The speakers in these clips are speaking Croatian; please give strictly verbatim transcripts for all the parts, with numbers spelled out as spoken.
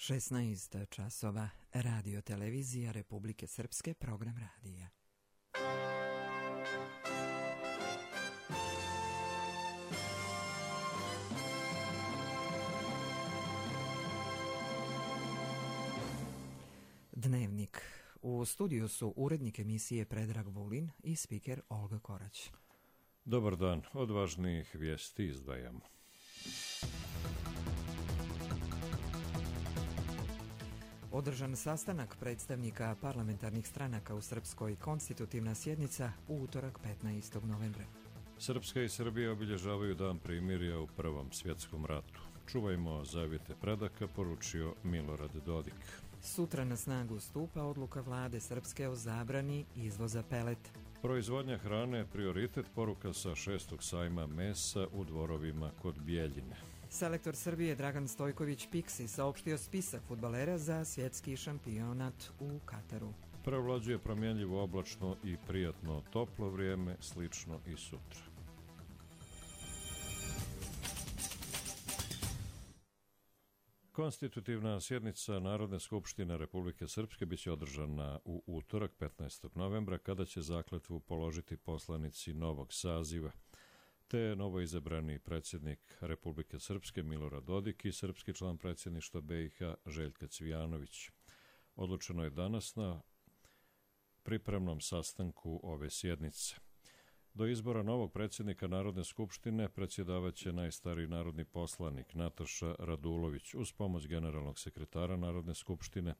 šesnaest časova, radio televizija Republike Srpske, program radija. Dnevnik. U studiju su urednik emisije Predrag Vulin i spiker Olga Korać. Dobar dan, od važnijih vijesti izdvajamo. Održan sastanak predstavnika parlamentarnih stranaka u Srpskoj, konstitutivna sjednica u utorak petnaestog novembra. Srpska i Srbija obilježavaju dan primirja u Prvom svjetskom ratu. Čuvajmo zavjete predaka, poručio Milorad Dodik. Sutra na snagu stupa odluka vlade Srpske o zabrani izvoza peleta. Proizvodnja hrane je prioritet, poruka sa šestog sajma mesa u Dvorovima kod Bijeljine. Selektor Srbije Dragan Stojković Piksi saopštio spisak fudbalera za svjetski šampionat u Kataru. Prevlađuje promjenljivo oblačno i prijatno toplo vrijeme, slično i sutra. Konstitutivna sjednica Narodne skupštine Republike Srpske biće održana u utorak petnaestog novembra, kada će zakletvu položiti poslanici novog saziva, te novoizabrani predsjednik Republike Srpske Milorad Dodik i srpski član predsjedništva B i H Željka Cvijanović. Odlučeno je danas na pripremnom sastanku ove sjednice. Do izbora novog predsjednika Narodne skupštine predsjedavaće najstariji narodni poslanik Nataša Radulović uz pomoć generalnog sekretara Narodne skupštine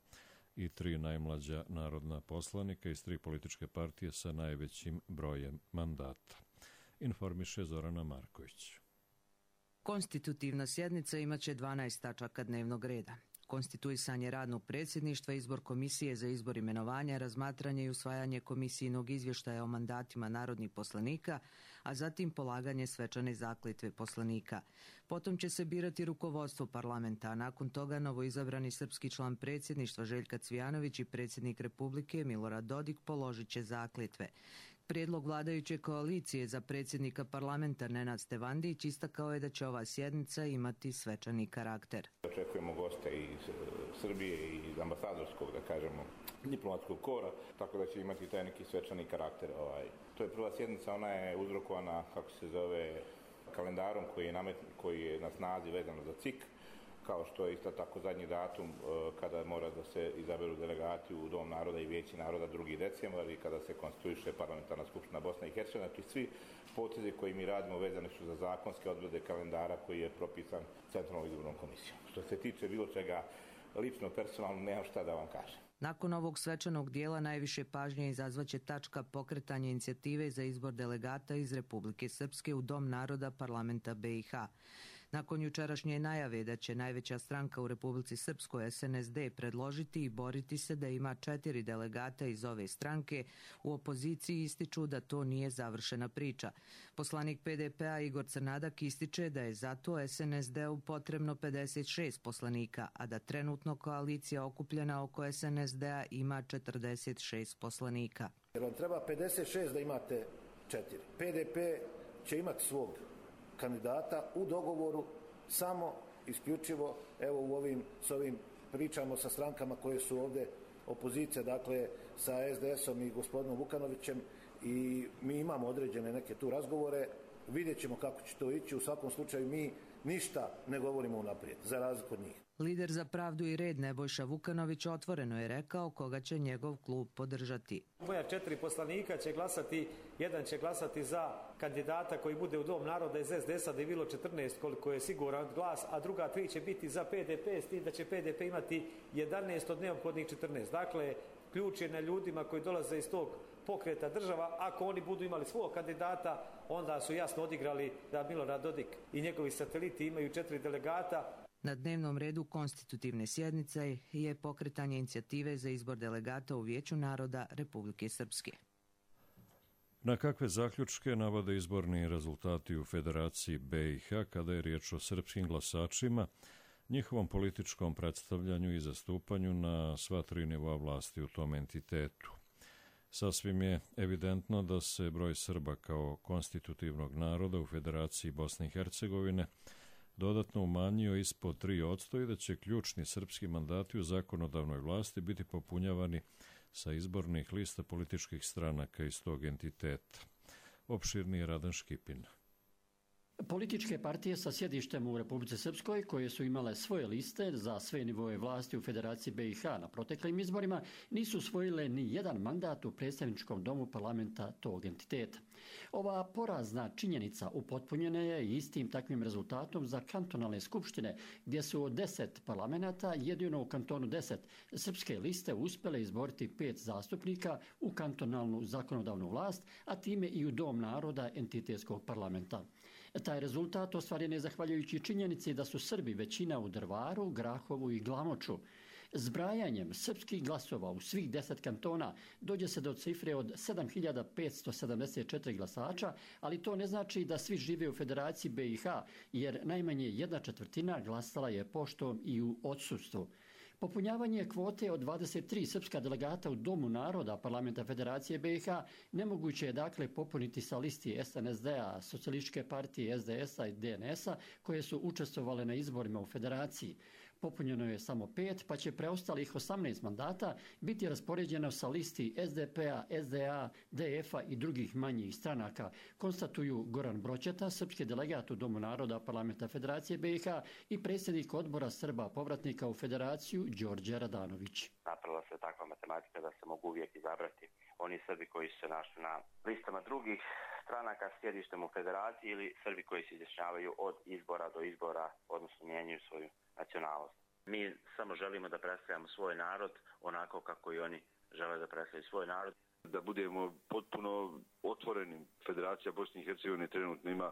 i tri najmlađa narodna poslanika iz tri političke partije sa najvećim brojem mandata. Informiše Zorana Marković. Konstitutivna sjednica imaće dvanaest tačaka dnevnog reda. Konstituisanje radnog predsjedništva, izbor komisije za izbor imenovanja, razmatranje i usvajanje komisijnog izvještaja o mandatima narodnih poslanika, a zatim polaganje svečane zakletve poslanika. Potom će se birati rukovodstvo parlamenta, a nakon toga novoizabrani srpski član predsjedništva Željka Cvijanović i predsjednik Republike Milorad Dodik položit će zakletve. Prijedlog vladajuće koalicije za predsjednika parlamenta Nenad Stevandić istakao je da će ova sjednica imati svečani karakter. Očekujemo goste iz Srbije i iz ambasadorskog, da kažemo, diplomatskog kora, tako da će imati taj neki svečani karakter. Ovaj. To je prva sjednica, ona je uzrokovana, kako se zove, kalendarom koji je, namet, koji je na snazi vezano za C I K, kao što je isto tako zadnji datum kada mora da se izaberu delegati u Dom naroda i Vijeće naroda drugi decembar i kada se konstituiše parlamentarna skupština Bosne i Hercegovine. Znači svi potezi koji mi radimo vezani su za zakonske odredbe kalendara koji je propisan Centralnom izbornom komisijom. Što se tiče bilo čega lično, personalno, nemam šta da vam kažem. Nakon ovog svečanog dijela najviše pažnje izazvaće tačka pokretanja inicijative za izbor delegata iz Republike Srpske u Dom naroda parlamenta B i H. Nakon jučerašnje najave da će najveća stranka u Republici Srpskoj S N S D predložiti i boriti se da ima četiri delegata iz ove stranke, u opoziciji ističu da to nije završena priča. Poslanik P D P-a Igor Crnadak ističe da je zato S N S D-u potrebno pedeset šest poslanika, a da trenutno koalicija okupljena oko S N S D-a ima četrdeset šest poslanika. Jer vam treba pedeset šest da imate četiri. P D P će imati svog kandidata u dogovoru samo isključivo evo u ovim, s ovim pričamo sa strankama koje su ovdje opozicija, dakle sa S D S-om i gospodinom Vukanovićem, i mi imamo određene neke tu razgovore, vidjet ćemo kako će to ići. U svakom slučaju mi ništa ne govorimo unaprijed, za razliku od njih. Lider za pravdu i red Nebojša Vukanović otvoreno je rekao koga će njegov klub podržati. Moja četiri poslanika će glasati, jedan će glasati za kandidata koji bude u Dom naroda iz S D S-a, da je bilo četrnaest koliko je siguran glas, a druga tri će biti za P D P, s tim da će P D P imati jedanaest od neophodnih četrnaest. Dakle, ključ je na ljudima koji dolaze iz tog pokreta država. Ako oni budu imali svog kandidata, onda su jasno odigrali da Milorad Dodik i njegovi sateliti imaju četiri delegata. Na dnevnom redu konstitutivne sjednice je pokretanje inicijative za izbor delegata u Vijeću naroda Republike Srpske. Na kakve zaključke navode izborni rezultati u Federaciji B i H kada je riječ o srpskim glasačima, njihovom političkom predstavljanju i zastupanju na sva tri nivoa vlasti u tom entitetu? Sasvim je evidentno da se broj Srba kao konstitutivnog naroda u Federaciji Bosne i Hercegovine dodatno umanjio ispod tri posto i da će ključni srpski mandati u zakonodavnoj vlasti biti popunjavani sa izbornih lista političkih stranaka iz tog entiteta. Opširniji Radan Škipin. Političke partije sa sjedištem u Republici Srpskoj, koje su imale svoje liste za sve nivoje vlasti u Federaciji B i H na proteklim izborima, nisu osvojile ni jedan mandat u predstavničkom domu parlamenta tog entiteta. Ova porazna činjenica upotpunjena je istim takvim rezultatom za kantonalne skupštine, gdje su od deset parlamenta jedino u kantonu deset srpske liste uspjele izboriti pet zastupnika u kantonalnu zakonodavnu vlast, a time i u Dom naroda entitetskog parlamenta. Taj rezultat ostvaren je zahvaljujući činjenici da su Srbi većina u Drvaru, Grahovu i Glamoču. Zbrajanjem srpskih glasova u svih deset kantona dođe se do cifre od sedam hiljada petsto sedamdeset četiri glasača, ali to ne znači da svi žive u Federaciji B i H, jer najmanje jedna četvrtina glasala je poštom i u odsustvu. Popunjavanje kvote od dvadeset tri srpska delegata u Domu naroda parlamenta Federacije B i H nemoguće je dakle popuniti sa listi S N S D-a, Socijalističke partije, S D S-a i D N S-a koje su učestvovale na izborima u Federaciji. Popunjeno je samo pet, pa će preostalih osamnaest mandata biti raspoređeno sa listi S D P-a, S D A, D F-a i drugih manjih stranaka, konstatuju Goran Broćeta, srpski delegat u Domu naroda parlamenta Federacije B i H i predsjednik odbora Srba povratnika u Federaciju Đorđe Radanović. Napravila se takva matematika da se mogu uvijek izabrati oni Srbi koji su se našli na listama drugih stranaka s sjedištem u Federaciji ili Srbi koji se izjašnjavaju od izbora do izbora, odnosno mijenjaju svoju nacionalnost. Mi samo želimo da predstavljamo svoj narod onako kako i oni žele da predstavljaju svoj narod. Da budemo potpuno otvoreni. Federacija Bosne i Hercegovine trenutno ima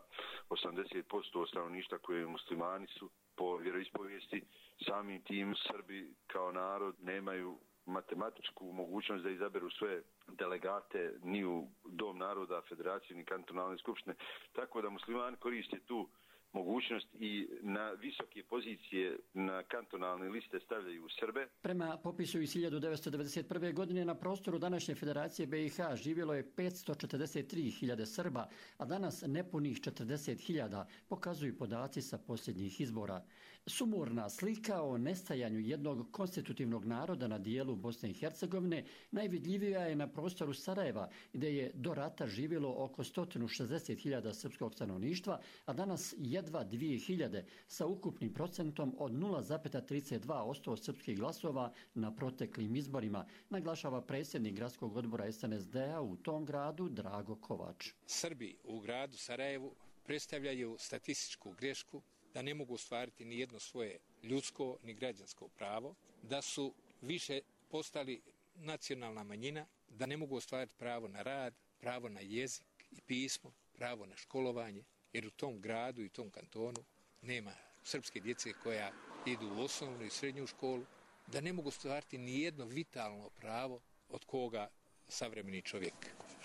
osamdeset posto stanovništva koje muslimani su po vjeroispovijesti. Samim tim Srbi kao narod nemaju matematičku mogućnost da izaberu sve delegate ni u Dom naroda, Federaciju ni kantonalne skupštine. Tako da muslimani koriste tu mogućnost i na visoke pozicije na kantonalne liste stavljaju Srbe. Prema popisu iz hiljadu devetsto devedeset prve. godine na prostoru današnje Federacije B i H živjelo je petsto četrdeset tri hiljade Srba, a danas nepunih četrdeset hiljada, pokazuju podaci sa posljednjih izbora. Sumorna slika o nestajanju jednog konstitutivnog naroda na dijelu Bosne i Hercegovine najvidljivija je na prostoru Sarajeva, gdje je do rata živjelo oko sto šezdeset hiljada srpskog stanovništva, a danas jedva dvije hiljade sa ukupnim procentom od nula zarez trideset dva posto srpskih glasova na proteklim izborima, naglašava predsjednik gradskog odbora S N S D-a u tom gradu Drago Kovač. Srbi u gradu Sarajevu predstavljaju statističku grešku da ne mogu ostvariti ni jedno svoje ljudsko ni građansko pravo, da su više postali nacionalna manjina, da ne mogu ostvariti pravo na rad, pravo na jezik i pismo, pravo na školovanje, jer u tom gradu i tom kantonu nema srpske djece koja idu u osnovnu i srednju školu, da ne mogu ostvariti ni jedno vitalno pravo od koga savremeni čovjek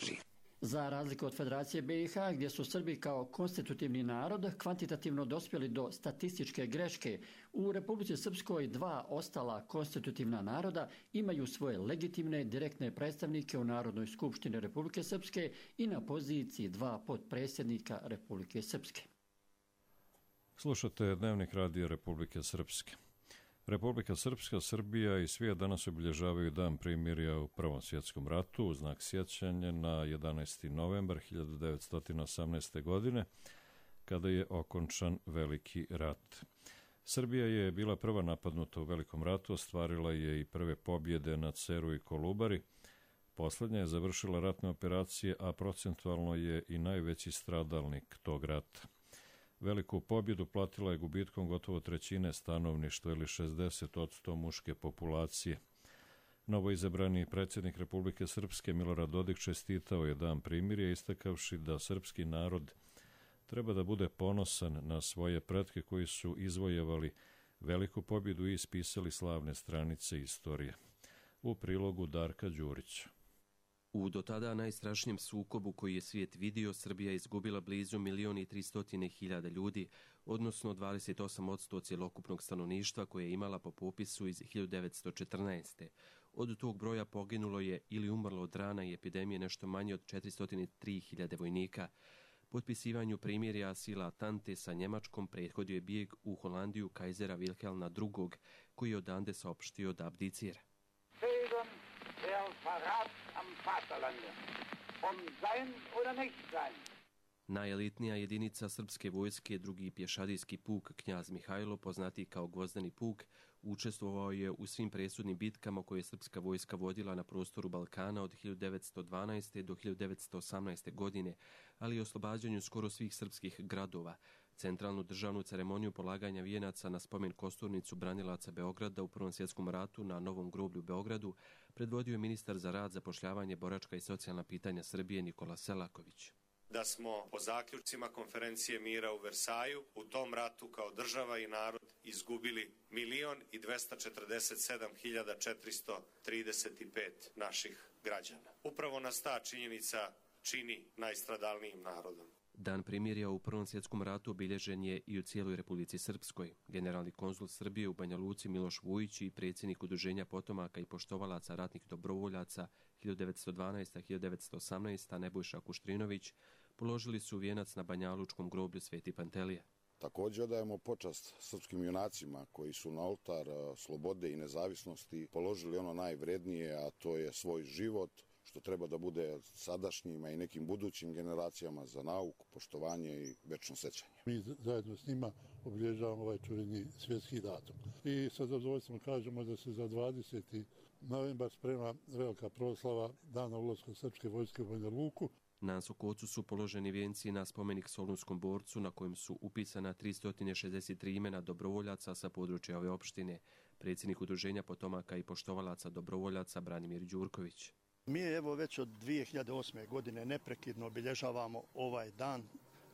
živi. Za razliku od Federacije B i H, gdje su Srbi kao konstitutivni narod kvantitativno dospjeli do statističke greške, u Republici Srpskoj dva ostala konstitutivna naroda imaju svoje legitimne direktne predstavnike u Narodnoj skupštini Republike Srpske i na poziciji dva potpredsjednika Republike Srpske. Slušate Dnevnik radija Republike Srpske. Republika Srpska, Srbija i svijet danas obilježavaju dan primirja u Prvom svjetskom ratu u znak sjećanja na jedanaesti novembar hiljadu devetsto osamnaeste. godine, kada je okončan Veliki rat. Srbija je bila prva napadnuta u Velikom ratu, ostvarila je i prve pobjede na Ceru i Kolubari. Poslednja je završila ratne operacije, a procentualno je i najveći stradalnik tog rata. Veliku pobjedu platila je gubitkom gotovo trećine stanovništva ili šezdeset posto muške populacije. Novoizabrani predsjednik Republike Srpske Milorad Dodik čestitao je dan primirja, istakavši da srpski narod treba da bude ponosan na svoje pretke koji su izvojevali veliku pobjedu i ispisali slavne stranice istorije. U prilogu Darka Đurića. U do tada najstrašnijem sukobu koji je svijet vidio, Srbija je izgubila blizu milion i tristotine hiljada ljudi, odnosno dvadeset osam posto cjelokupnog stanovništva koje je imala po popisu iz hiljadu devetsto četrnaeste. Od tog broja poginulo je ili umrlo od rana i epidemije nešto manje od četiristo tri hiljade vojnika. Potpisivanju primirja sila Tante sa Njemačkom prethodio je bijeg u Holandiju kajzera Wilhelma drugog, koji je odande saopštio da abdicira. Zählen der Verrat am Vaterlande, um sein oder nicht sein. Najelitnija jedinica srpske vojske, drugi pješadijski puk Knjaz Mihajlo, poznati kao Gvozdeni puk, učestvovao je u svim presudnim bitkama koje je srpska vojska vodila na prostoru Balkana od hiljadu devetsto dvanaeste. do hiljadu devetsto osamnaeste. godine, ali i oslobađanju skoro svih srpskih gradova. Centralnu državnu ceremoniju polaganja vijenaca na spomen kosturnicu branilaca Beograda u Prvom svjetskom ratu na Novom groblju u Beogradu predvodio je ministar za rad, zapošljavanje, boračka i socijalna pitanja Srbije Nikola Selaković. Da smo po zaključcima konferencije mira u Versaju u tom ratu kao država i narod izgubili milion i dvesta četrdeset sedam hiljada četiristo trideset pet naših građana. Upravo nas ta činjenica čini najstradalnijim narodom. Dan primirja u Prvom svjetskom ratu obilježen je i u cijeloj Republici Srpskoj. Generalni konzul Srbije u Banja Luci Miloš Vujić i predsjednik Udruženja potomaka i poštovalaca ratnih dobrovoljaca hiljadu devetsto dvanaeste. do hiljadu devetsto osamnaeste. Nebojša Kuštrinović položili su vijenac na banjalučkom groblju Sveti Pantelije. Također odajemo počast srpskim junacima koji su na oltar slobode i nezavisnosti položili ono najvrednije, a to je svoj život, što treba da bude sadašnjima i nekim budućim generacijama za nauku, poštovanje i večno sećanje. Mi zajedno s njima obilježavamo ovaj čuveni svjetski datum. I sa zadovoljstvom kažemo da se za dvadeseti novembar sprema velika proslava dana ulaska srpske vojske u Banja Luku. Na Sokocu su položeni vijenci na spomenik Solunskom borcu na kojem su upisana tristo šezdeset tri imena dobrovoljaca sa područja ove opštine. Predsjednik Udruženja potomaka i poštovalaca dobrovoljaca Branimir Đurković. Mi evo već od dvije hiljade osme. godine neprekidno obilježavamo ovaj dan,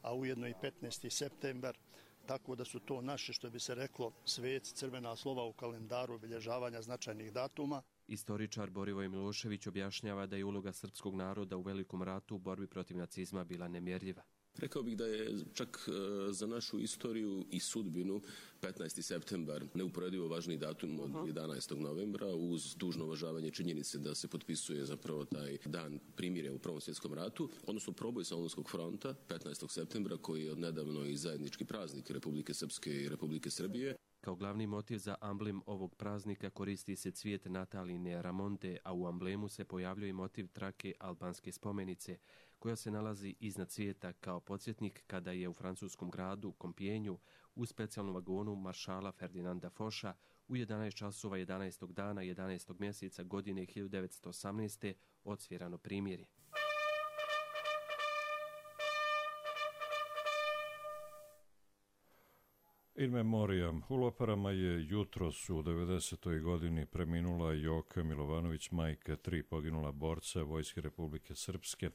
a ujedno i petnaesti septembar, tako da su to naše, što bi se reklo, sveci, crvena slova u kalendaru obilježavanja značajnih datuma. Istoričar Borivoj Milošević objašnjava da je uloga srpskog naroda u Velikom ratu u borbi protiv nacizma bila nemjerljiva. Rekao bih da je čak za našu istoriju i sudbinu petnaesti septembar neuporedivo važniji datum od jedanaestog novembra, uz dužno uvažavanje činjenice da se potpisuje zapravo taj dan primirja u Prvom svjetskom ratu, odnosno proboj Solunskog fronta petnaestog septembra, koji je odnedavno i zajednički praznik Republike Srpske i Republike Srbije. Kao glavni motiv za amblem ovog praznika koristi se cvijet Nataline Ramonte, a u amblemu se pojavljuje motiv trake albanske spomenice, koja se nalazi iznad cvijeta kao podsjetnik kada je u francuskom gradu Kompijenju u specijalnom vagonu maršala Ferdinanda Foša u jedanaest časova jedanaestog dana jedanaestog mjeseca godine hiljadu devetsto osamnaeste. odsvirano primirje. In memoriam. U Loparama je jutros u devedesetoj godini preminula Joka Milovanović, majka tri poginula borca Vojske Republike Srpske,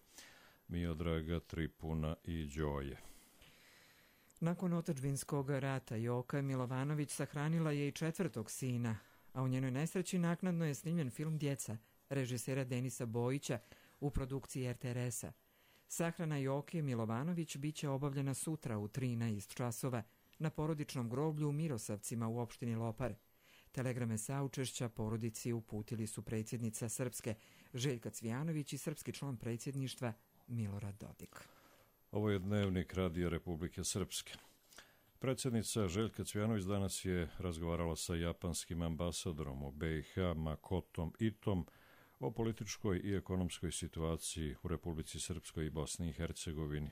Miodraga, Tripuna i Đoje. Nakon otadžbinskog rata Joka Milovanović sahranila je i četvrtog sina, a u njenoj nesreći naknadno je snimljen film Djeca, režisera Denisa Bojića u produkciji er te er es-a. Sahrana Joke Milovanović biće obavljena sutra u trinaest časova na porodičnom groblju u Mirosavcima u opštini Lopar. Telegrame saučešća porodici uputili su predsjednica Srpske Željka Cvijanović i srpski član predsjedništva Milorad Dodik. Ovo je dnevnik Radija Republike Srpske. Predsjednica Željka Cvijanović danas je razgovarala sa japanskim ambasadorom u be i ha Makotom Itom o političkoj i ekonomskoj situaciji u Republici Srpskoj i Bosni i Hercegovini.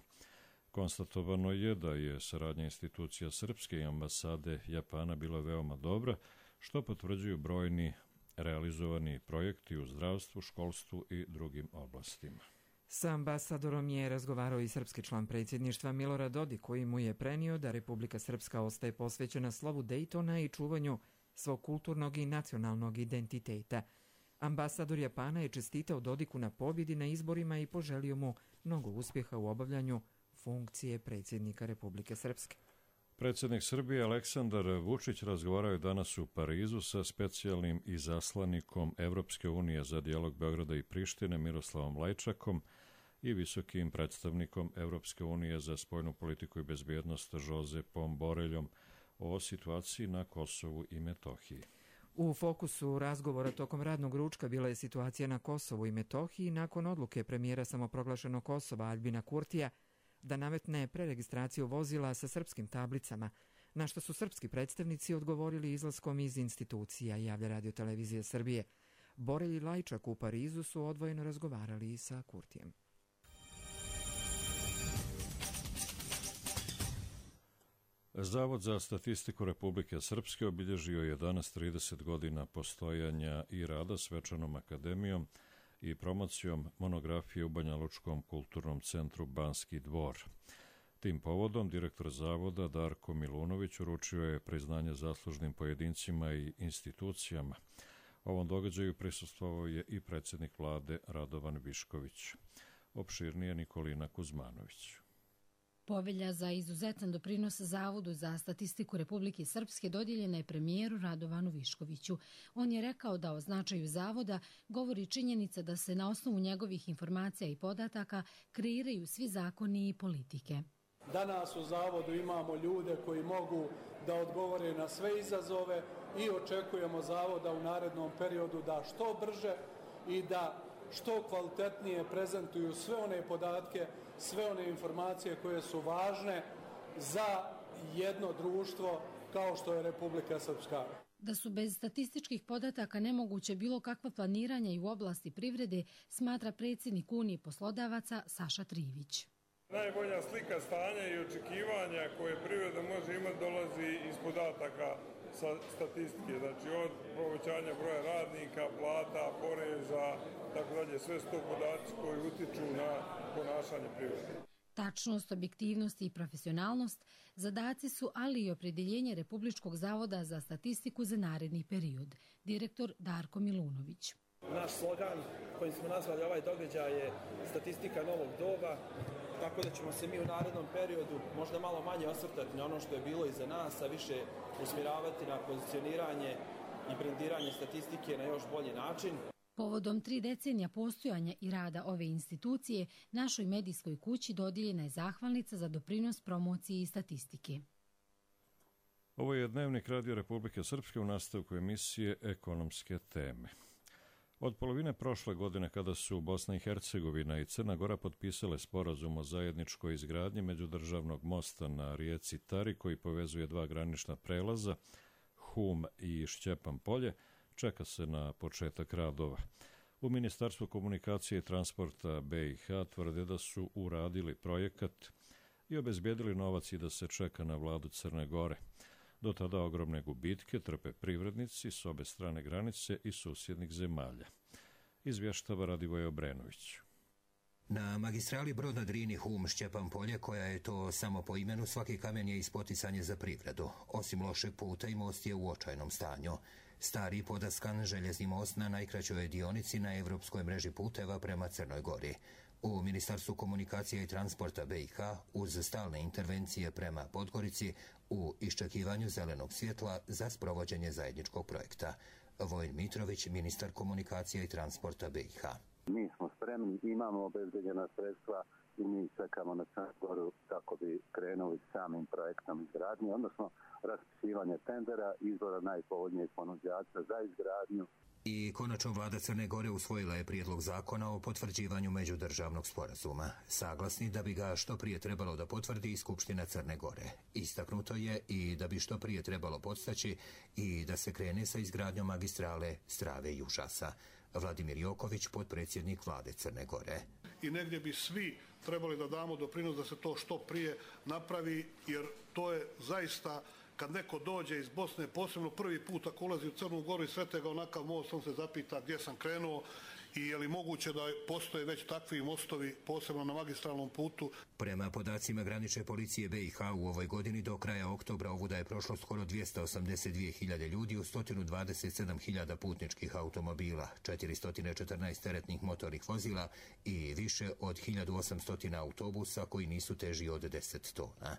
Konstatovano je da je saradnja institucija Srpske i ambasade Japana bila veoma dobra, što potvrđuju brojni realizovani projekti u zdravstvu, školstvu i drugim oblastima. Sa ambasadorom je razgovarao i srpski član predsjedništva Milorad Dodik, koji mu je prenio da Republika Srpska ostaje posvećena slovu Dejtona i čuvanju svog kulturnog i nacionalnog identiteta. Ambasador Japana je čestitao Dodiku na pobjedi na izborima i poželio mu mnogo uspjeha u obavljanju funkcije predsjednika Republike Srpske. Predsjednik Srbije Aleksandar Vučić razgovarao je danas u Parizu sa specijalnim izaslanikom Evropske unije za dijalog Beograda i Prištine Miroslavom Lajčakom i visokim predstavnikom Evropske unije za spoljnu politiku i bezbjednost Josepom Boreljom o situaciji na Kosovu i Metohiji. U fokusu razgovora tokom radnog ručka bila je situacija na Kosovu i Metohiji nakon odluke premijera samoproglašenog Kosova Aljbina Kurtija da nametne preregistraciju vozila sa srpskim tablicama, na što su srpski predstavnici odgovorili izlaskom iz institucija, javlja Radio Televizija Srbije. Borelj i Lajčak u Parizu su odvojeno razgovarali sa Kurtijem. Zavod za statistiku Republike Srpske obilježio je danas trideset godina postojanja i rada svečanom akademijom i promocijom monografije u Banjalučkom kulturnom centru Banski dvor. Tim povodom direktor zavoda Darko Milunović uručio je priznanje zaslužnim pojedincima i institucijama. Ovom događaju prisustvovao je i predsjednik vlade Radovan Višković. Opširnije Nikolina Kuzmanović. Povelja za izuzetan doprinos Zavodu za statistiku Republike Srpske dodijeljena je premijeru Radovanu Viškoviću. On je rekao da o značaju Zavoda govori činjenica da se na osnovu njegovih informacija i podataka kreiraju svi zakoni i politike. Danas u Zavodu imamo ljude koji mogu da odgovore na sve izazove i očekujemo Zavoda u narednom periodu da što brže i da što kvalitetnije prezentuju sve one podatke, sve one informacije koje su važne za jedno društvo kao što je Republika Srpska. Da su bez statističkih podataka nemoguće bilo kakva planiranja i u oblasti privrede, smatra predsjednik Unije poslodavaca Saša Trivić. Najbolja slika stanja i očekivanja koje privreda može imati dolazi iz podataka sa statistike, znači od povećanja broja radnika, plata, poreza, tako dalje, sve su to podaci koji utiču na ponašanje privrede. Tačnost, objektivnost i profesionalnost zadaci su, ali i opredjeljenje Republičkog zavoda za statistiku za naredni period. Direktor Darko Milunović. Naš slogan kojim smo nazvali ovaj događaj je statistika novog doba, tako da ćemo se mi u narednom periodu možda malo manje osvrtati na ono što je bilo iza nas, a više usmjeravati na pozicioniranje i brendiranje statistike na još bolji način. Povodom tri decenija postojanja i rada ove institucije, našoj medijskoj kući dodijeljena je zahvalnica za doprinos promociji statistike. Ovo je Dnevnik Radio Republike Srpske u nastavku emisije Ekonomske teme. Od polovine prošle godine, kada su Bosna i Hercegovina i Crna Gora potpisale sporazum o zajedničkoj izgradnji međudržavnog mosta na rijeci Tari koji povezuje dva granična prelaza, Hum i Šćepan polje, čeka se na početak radova. U Ministarstvu komunikacije i transporta B i H tvrde da su uradili projekat i obezbijedili novac i da se čeka na vladu Crne Gore. Do tada ogromne gubitke trpe privrednici s obe strane granice i susjednih zemalja. Izvještava Radivoje Obrenović. Na magistrali Brod na Drini Hum Šćepan polje, koja je to samo po imenu, svaki kamen je ispoticanje za privredu. Osim lošeg puta i most je u očajnom stanju. Stari podaskan željezni most na najkraćoj dionici na evropskoj mreži puteva prema Crnoj Gori. U Ministarstvu komunikacije i transporta B i H uz stalne intervencije prema Podgorici u iščekivanju zelenog svjetla za sprovođenje zajedničkog projekta. Vojin Mitrović, ministar komunikacije i transporta B i H. Mi smo spremni, imamo obezbeđena sredstva i mi čekamo na Crnu Goru kako bi krenuli samim projektom izgradnje, odnosno raspisivanje tendera, izbora najpovoljnijeg ponuđača za izgradnju. I konačno vlada Crne Gore usvojila je prijedlog zakona o potvrđivanju međudržavnog sporazuma. Saglasni da bi ga što prije trebalo da potvrdi i Skupština Crne Gore. Istaknuto je i da bi što prije trebalo podstaći i da se krene sa izgradnjom magistrale Strave i Užasa. Vladimir Joković, potpredsjednik vlade Crne Gore. I negdje bi svi trebali da damo doprinos da se to što prije napravi, jer to je zaista, kad neko dođe iz Bosne, posebno prvi put ako ulazi u Crnu Goru i srete ga onakav most, on se zapita gdje sam krenuo i je li moguće da postoje već takvi mostovi, posebno na magistralnom putu. Prema podacima granične policije B i H u ovoj godini do kraja oktobra ovuda je prošlo skoro dvjesto osamdeset dvije hiljade ljudi u sto dvadeset sedam hiljada putničkih automobila, četiristo četrnaest teretnih motornih vozila i više od hiljadu osamsto autobusa koji nisu teži od deset tona.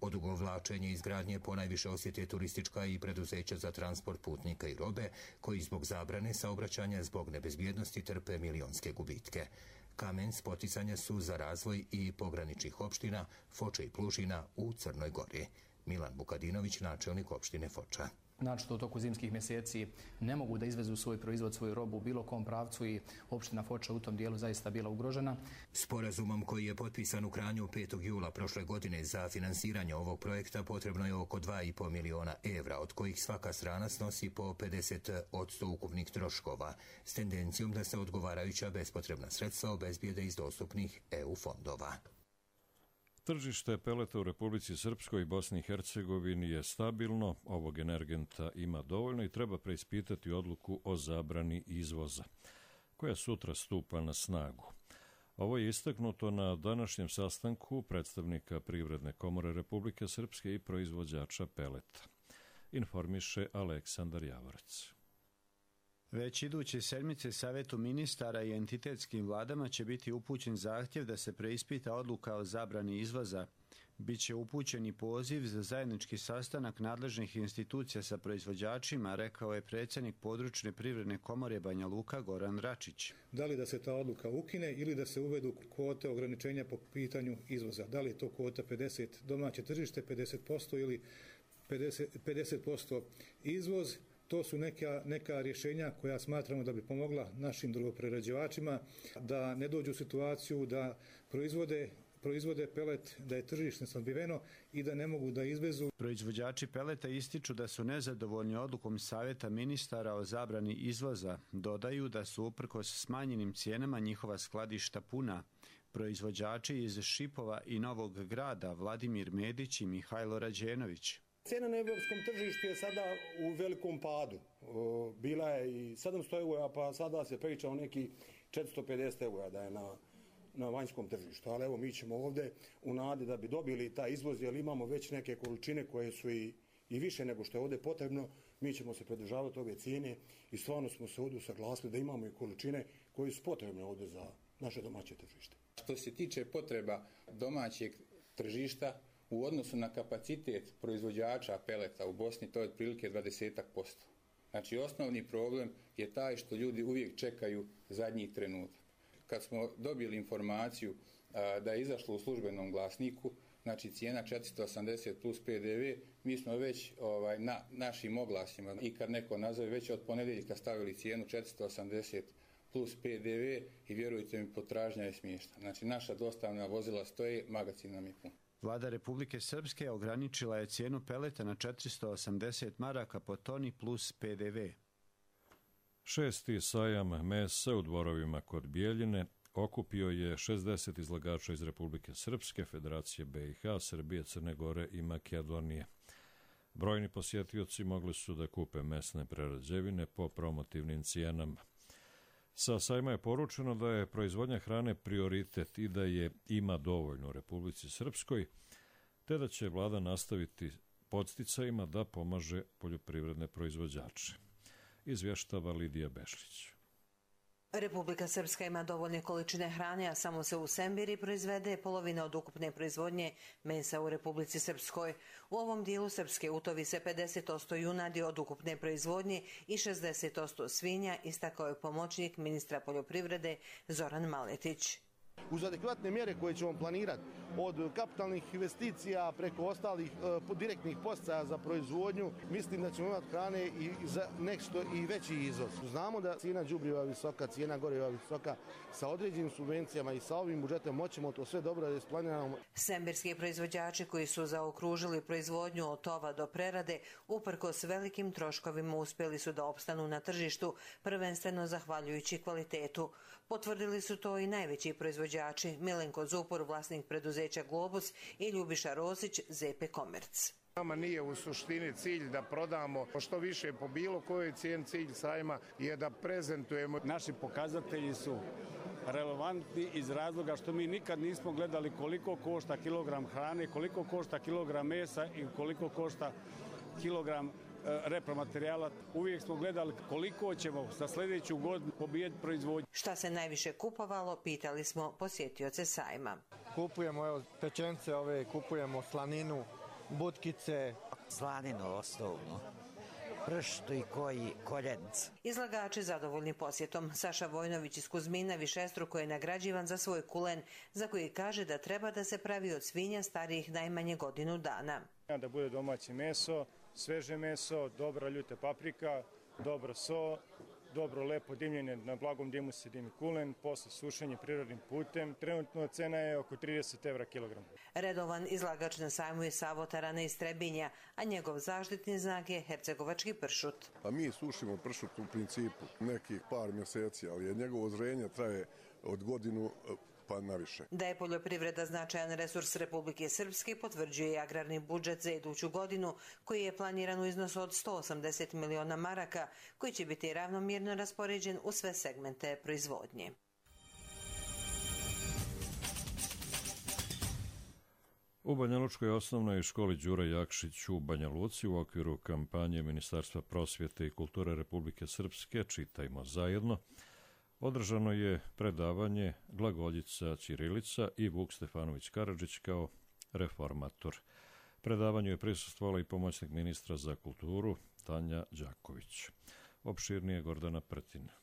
Odugovlačenje izgradnje ponajviše osjete turistička i preduzeća za transport putnika i robe, koji zbog zabrane saobraćanja zbog nebezbjednosti trpe milionske gubitke. Kamen spoticanja su za razvoj i pograničnih opština Foča i Plužina u Crnoj Gori. Milan Vukadinović, načelnik opštine Foča. znači u toku zimskih mjeseci ne mogu da izvezu svoj proizvod, svoju robu u bilo kom pravcu i opština Foča u tom dijelu zaista bila ugrožena. Sporazumom koji je potpisan u Kranju petog jula prošle godine za finansiranje ovog projekta potrebno je oko dva i po miliona evra, od kojih svaka strana snosi po pedeset posto ukupnih troškova, s tendencijom da se odgovarajuća bespotrebna sredstva obezbijede iz dostupnih E U fondova. Tržište peleta u Republici Srpskoj i Bosni i Hercegovini je stabilno, ovog energenta ima dovoljno i treba preispitati odluku o zabrani izvoza, koja sutra stupa na snagu. Ovo je istaknuto na današnjem sastanku predstavnika Privredne komore Republike Srpske i proizvođača peleta. Informiše Aleksandar Javorac. Već iduće sedmice Savetu ministara i entitetskim vladama će biti upućen zahtjev da se preispita odluka o zabrani izvoza. Biće upućen i poziv za zajednički sastanak nadležnih institucija sa proizvođačima, rekao je predsjednik područne privredne komore Banja Luka Goran Račić. Da li da se ta odluka ukine ili da se uvedu kvote ograničenja po pitanju izvoza? Da li je to kvota pedeset domaće tržište, pedeset posto ili pedeset posto izvoz? To su neka, neka rješenja koja smatramo da bi pomogla našim drvoprerađivačima da ne dođu u situaciju da proizvode proizvode pelet, da je tržište snabdjeveno i da ne mogu da izvezu. Proizvođači peleta ističu da su nezadovoljni odlukom Savjeta ministara o zabrani izvoza. Dodaju da su uprkos smanjenim cijenama njihova skladišta puna. Proizvođači iz Šipova i Novog Grada Vladimir Medić i Mihajlo Rađenović. Cijena na evropskom tržištu je sada u velikom padu. Bila je i sedamsto eura, pa sada se priča o neki četiristo pedeset eura da je na, na vanjskom tržištu. Ali evo mi ćemo ovdje u nadi da bi dobili taj izvoz, jer imamo već neke količine koje su i, i više nego što je ovdje potrebno. Mi ćemo se pridržavati ove cijene i stvarno smo se ovdje usaglasili da imamo i količine koje su potrebne ovdje za naše domaće tržište. Što se tiče potreba domaćeg tržišta, u odnosu na kapacitet proizvođača peleta u Bosni, to je otprilike dvadeset posto. Znači, osnovni problem je taj što ljudi uvijek čekaju zadnji trenutak. Kad smo dobili informaciju a, da je izašlo u službenom glasniku, znači cijena četiristo osamdeset plus P D V, mi smo već ovaj, na našim oglasima i kad neko nazove već od ponedjeljka stavili cijenu četiristo osamdeset plus P D V i vjerujte mi, potražnja je smiješna. Znači, naša dostavna vozila stoje, magacin nam je pun. Vlada Republike Srpske ograničila je cijenu peleta na četiristo osamdeset maraka po toni plus P D V. Šesti sajam mesa u Dvorovima kod Bijeljine okupio je šezdeset izlagača iz Republike Srpske, Federacije B i H, Srbije, Crne Gore i Makedonije. Brojni posjetioci mogli su da kupe mesne prerađevine po promotivnim cijenama. Sa sajma je poručeno da je proizvodnja hrane prioritet i da je ima dovoljno u Republici Srpskoj, te da će vlada nastaviti podsticajima da pomaže poljoprivredne proizvođače. Izvještava Lidija Bešlić. Republika Srpska ima dovoljne količine hrane, a samo se u Sembiri proizvede polovina od ukupne proizvodnje mesa u Republici Srpskoj. U ovom dijelu Srpske utovi se pedeset posto junadi od ukupne proizvodnje i šezdeset posto svinja, istakao je pomoćnik ministra poljoprivrede Zoran Maletić. Uz adekvatne mjere koje ćemo planirati od kapitalnih investicija preko ostalih e, direktnih podsticaja za proizvodnju, mislim da ćemo imati hrane i za nešto i veći izvoz. Znamo da cijena đubriva je visoka, cijena goriva je visoka, sa određenim subvencijama i sa ovim budžetom moćemo to sve dobro da isplaniramo. Sembirski proizvođači koji su zaokružili proizvodnju od tova do prerade, uprkos velikim troškovima uspjeli su da opstanu na tržištu, prvenstveno zahvaljujući kvalitetu. Potvrdili su to i najveći proizvođači Milenko Zupor, vlasnik preduzeća Globus, i Ljubiša Rosić, Z P Komerc. Nama nije u suštini cilj da prodamo što više po bilo kojoj cijeni. Cilj sajma je da prezentujemo. Naši pokazatelji su relevantni iz razloga što mi nikad nismo gledali koliko košta kilogram hrane, koliko košta kilogram mesa i koliko košta kilogram repromaterijala. Uvijek smo gledali koliko ćemo za sljedeću godinu pobijeti proizvodnju. Šta se najviše kupovalo, pitali smo posjetioce sajma. Kupujemo evo, pečence ove, kupujemo slaninu, butkice. Slaninu osnovno, prštu i koji koljenc. Izlagači zadovoljni posjetom. Saša Vojnović iz Kuzmina višestruko je nagrađivan za svoj kulen, za koji kaže da treba da se pravi od svinja starijih najmanje godinu dana. Da bude domaće meso, sveže meso, dobra ljuta paprika, dobro so, dobro lepo dimljenje, na blagom dimu se dimi kulen, posle sušenje prirodnim putem. Trenutno cena je oko trideset evra kilogram. Redovan izlagač na sajmu je Savo Tarana iz Trebinja, a njegov zaštitni znak je hercegovački pršut. A mi sušimo pršut u principu nekih par mjeseci, ali njegovo zrenje traje od godinu pa naviše. Da je poljoprivreda značajan resurs Republike Srpske potvrđuje i agrarni budžet za iduću godinu, koji je planiran u iznosu od sto osamdeset miliona maraka, koji će biti ravnomjerno raspoređen u sve segmente proizvodnje. U Banjalučkoj osnovnoj školi Đura Jakšić u Banja Luci u okviru kampanje Ministarstva prosvjete i kulture Republike Srpske Čitajmo zajedno održano je predavanje glagoljica ćirilica i Vuk Stefanović Karadžić kao reformator. Predavanju je prisustvovala i pomoćnik ministra za kulturu Tanja Đaković. Opširnije Gordana Prtina.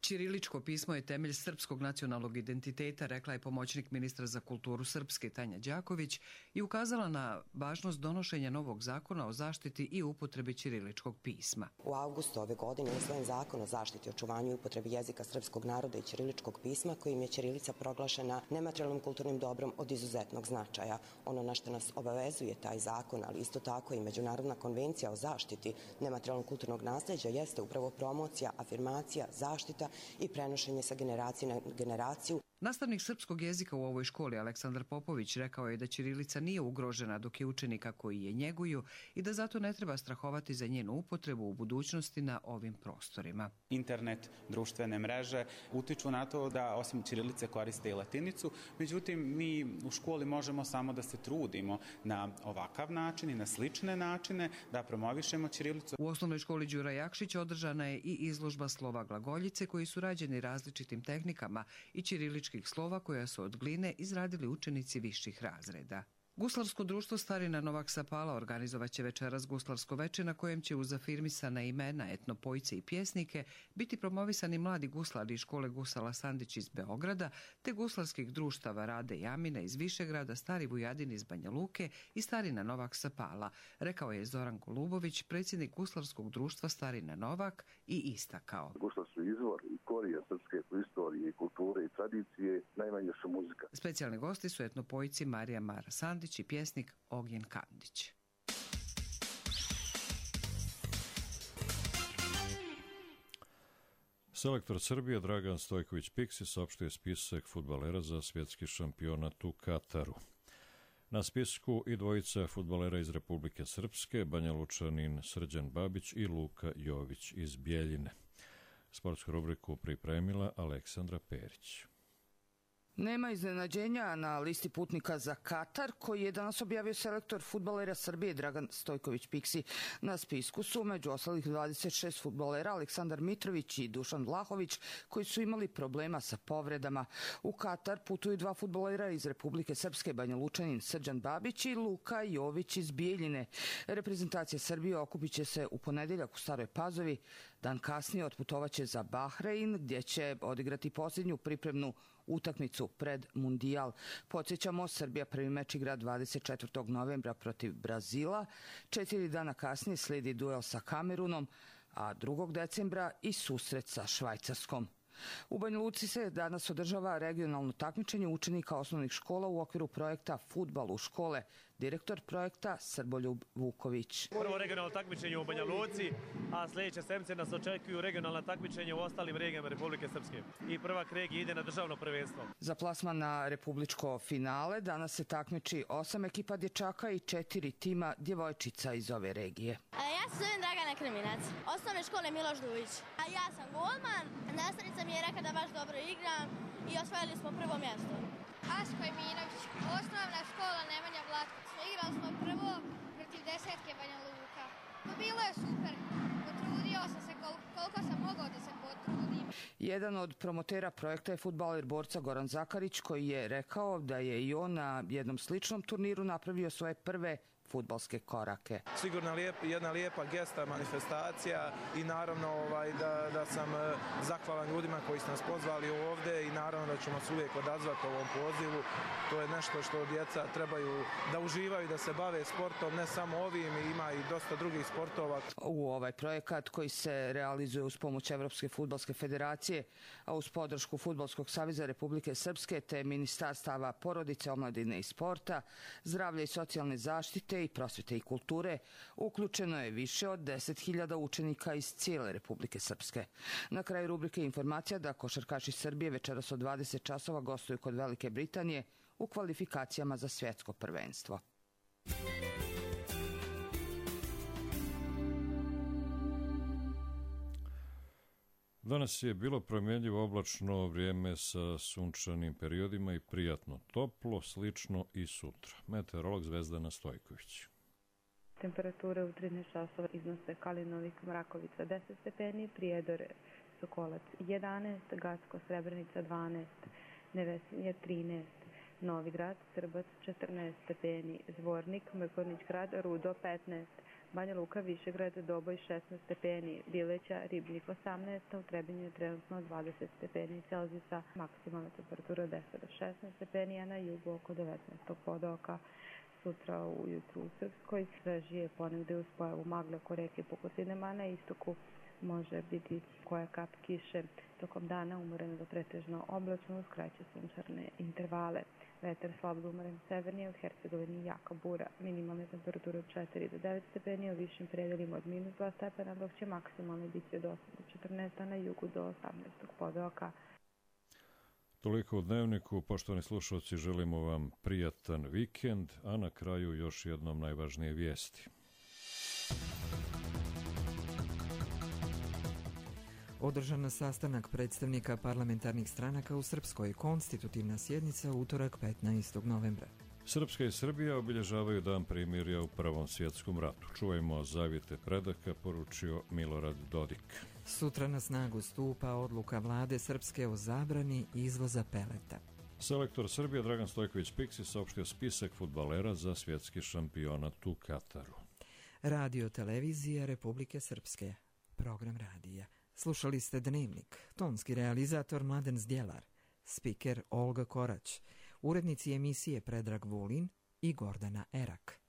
Ćiriličko pismo je temelj srpskog nacionalnog identiteta, rekla je pomoćnik ministra za kulturu Srpske Tanja Đaković i ukazala na važnost donošenja novog zakona o zaštiti i upotrebi ćiriličkog pisma. U avgustu ove godine je usvojen zakon o zaštiti, očuvanju i upotrebi jezika srpskog naroda i ćiriličkog pisma, kojim je ćirilica proglašena nematerijalnim kulturnim dobrom od izuzetnog značaja. Ono na što nas obavezuje taj zakon, ali isto tako i Međunarodna konvencija o zaštiti nematerijalnog kulturnog nasleđa, jeste upravo promocija, afirmacija, zaštita i prenošenje sa generacije na generaciju. Nastavnik srpskog jezika u ovoj školi Aleksandar Popović rekao je da ćirilica nije ugrožena dok je učenika koji je njeguju i da zato ne treba strahovati za njenu upotrebu u budućnosti na ovim prostorima. Internet, društvene mreže utiču na to da osim ćirilice koriste i latinicu, međutim mi u školi možemo samo da se trudimo na ovakav način i na slične načine da promovišemo ćirilicu. U osnovnoj školi Đura Jakšić održana je i izložba slova glagoljice koji su rađeni različitim tehnikama i ćirilički slova koja su od gline izradili učenici viših razreda. Guslarsko društvo Starina Novak Sapala organizovaće večeras guslarsko veče na kojem će uz afirmisana imena, etnopojce i pjesnike biti promovisani mladi guslari iz škole Gusala Sandić iz Beograda te guslarskih društava Rade i Amina iz Višegrada, Stari Vujadin iz Banja Luke i Starina Novak Sapala, rekao je Zoran Golubović, predsjednik guslarskog društva Starina Novak, i istakao. Guslar su izvor i korijen srpske istorije i kulture i tradicije, najmanje su muzika. Specijalni gosti su etnopojci Marija Mara Sandić i pjesnik Ognjen Kandić. Selektor Srbije Dragan Stojković Piksi saopštio spisak fudbalera za svjetski šampionat u Kataru. Na spisku i dvojica fudbalera iz Republike Srpske, Banjalučanin Srđan Babić i Luka Jović iz Bjeljine. Sportsku rubriku pripremila Aleksandra Perić. Nema iznenađenja na listi putnika za Katar, koji je danas objavio selektor fudbalera Srbije Dragan Stojković Piksi. Na spisku su među ostalih dvadeset šest fudbalera Aleksandar Mitrović i Dušan Vlahović, koji su imali problema sa povredama. U Katar putuju dva fudbalera iz Republike Srpske, Banjalučanin Srđan Babić i Luka Jović iz Bijeljine. Reprezentacija Srbije okupit će se u ponedeljak u Staroj Pazovi. Dan kasnije otputovaće za Bahrein, gdje će odigrati posljednju pripremnu utakmicu pred Mundijal. Podsjećamo, Srbija prvi meč igra dvadeset četvrtog novembra protiv Brazila. Četiri dana kasnije slijedi duel sa Kamerunom, a drugog decembra i susret sa Švajcarskom. U Banja Luci se danas održava regionalno takmičenje učenika osnovnih škola u okviru projekta Fudbal u škole. Direktor projekta Srboljub Vuković. Prvo regionalno takmičenje u Banja Luci, a sljedeće sedmice nas očekuju regionalna takmičenja u ostalim regijama Republike Srpske. I prvak regije ide na državno prvenstvo. Za plasman na republičko finale danas se takmiči osam ekipa dječaka i četiri tima djevojčica iz ove regije. Ja se zovem Dragana Kriminac, osnovne škole Miloš Dujić. A ja sam golman, nastavnica mi je rekla da baš dobro igram i osvojili smo prvo mjesto. Asko Eminović, osnovna škola Nemanja Vlatković. Igrali smo prvo protiv desetke Banja Luka. No, bilo je super, potrudio sam se kol koliko sam mogao da se potrudim. Jedan od promotera projekta je fudbaler borca Goran Zakarić, koji je rekao da je i on na jednom sličnom turniru napravio svoje prve fudbalske korake. Sigurno lijep, jedna lijepa gesta, manifestacija i naravno ovaj, da, da sam zahvalan ljudima koji su nas pozvali ovdje i naravno da ćemo se uvijek odazvati ovom pozivu. To je nešto što djeca trebaju da uživaju, da se bave sportom, ne samo ovim, ima i dosta drugih sportova. U ovaj projekat koji se realizuje uz pomoć Evropske fudbalske federacije, a uz podršku Fudbalskog saveza Republike Srpske te Ministarstava porodice, omladine i sporta, zdravlja i socijalne zaštite i prosvete i kulture, uključeno je više od deset hiljada učenika iz cijele Republike Srpske. Na kraju rubrike informacija da košarkaši Srbije večeras od dvadeset časova gostuju kod Velike Britanije u kvalifikacijama za svjetsko prvenstvo. Danas je bilo promjenjivo oblačno vrijeme sa sunčanim periodima i prijatno toplo, slično i sutra. Meteorolog Zvezdana Stojković. Temperature u trinaest časova iznose Kalinovik, Mrakovica deset stepeni, Prijedor, Sokolac jedanaest, Gacko, Srebrenica dvanaest, Nevesinje trinaest, Novi Grad, Srbac četrnaest stepeni, Zvornik, Mrkonjić Grad, Rudo petnaest, Banja Luka, Višegrad, Doboj šesnaest stepeni, Bileća, Ribnik osamnaest, u Trebinju je trenutno dvadeset stepeni Celzijusa, maksimalna temperatura deset do šesnaest stepeni, a na jugu oko devetnaest podoka. Sutra ujutru u Srpskoj svežije ponegde uz pojavu magle oko reke Pokosinama, a na istoku može biti koja kap kiše. Tokom dana umoreno do pretežno oblačno uz kraće sunčarne intervale. Vetar slab do umeren severnije, od Hercegovini jaka bura. Minimalne temperature od četiri do devet stepeni, u višim predelima od minus dva stepena, dok će maksimalno biti od osam do četrnaest, a na jugu do osamnaest podoka. Toliko u Dnevniku. Poštovani slušalci, želimo vam prijatan vikend, a na kraju još jednom najvažnije vijesti. Održan sastanak predstavnika parlamentarnih stranaka u Srpskoj, konstitutivna sjednica u utorak petnaestog novembra. Srpska i Srbija obilježavaju dan primirja u Prvom svjetskom ratu. Čujemo zavjete predaka, poručio Milorad Dodik. Sutra na snagu stupa odluka vlade Srpske o zabrani izvoza peleta. Selektor Srbije Dragan Stojković Piksi saopštio spisak fudbalera za svjetski šampionat u Kataru. Radio televizija Republike Srpske. Program radija. Slušali ste Dnevnik, tonski realizator Mladen Zdjelar, spiker Olga Korać, urednici emisije Predrag Vulin i Gordana Erak.